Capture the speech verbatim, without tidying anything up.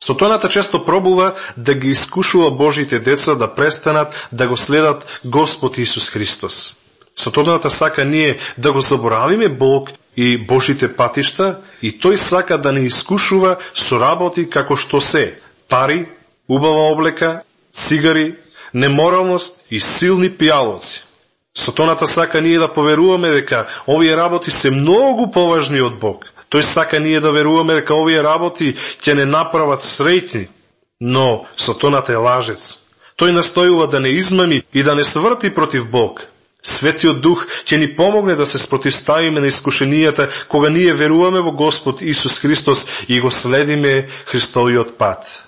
Сатаната често пробува да ги искушува Божите деца да престанат да го следат Господ Исус Христос. Сатаната сака ние да го заборавиме Бог и Божите патишта и тој сака да не искушува со работи како што се пари, убава облека, цигари, неморалност и силни пијалоци. Сатаната сака ние да поверуваме дека овие работи се многу поважни од Бог. Тој сака ние да веруваме дека овие работи ќе не направат среќни, но Сатаната е лажец. Тој настојува да не измами и да не сврти против Бог. Светиот Дух ќе ни помогне да се спротивставиме на искушенијата кога ние веруваме во Господ Исус Христос и го следиме Христовиот пат.